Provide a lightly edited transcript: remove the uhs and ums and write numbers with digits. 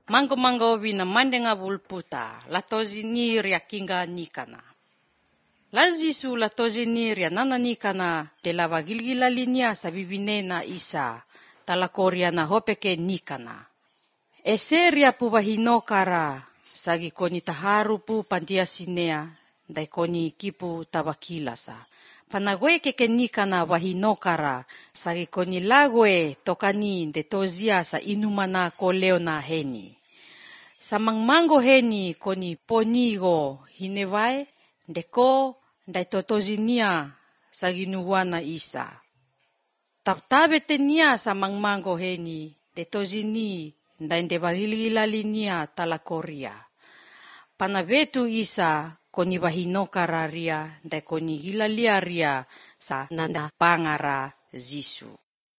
Mango wina mandenga vulputa, latozi ni ria kinga nikana. Lazisu latozi ni ria nana nikana, de lava gilgila linia sa bibinena isa, talakoria na hopeke nikana. Ese ria puwahinokara, sagi koni taharu pu pantia sinea, dai koni kipu tabakilasa. Panagwe keke nikana wahinokara, sagi koni lagwe tokani de tozia sa inumana koleona heni. Samangmango heni koni ponigo hinewai, deko dai totozinia saginuwana isa. Taptabete nia samangmango heni, de tozini dai ndevagililalinia talakoria. Panavetu isa koni wahinokara ria, dai koni hilalia ria sa nanda pangara zisu.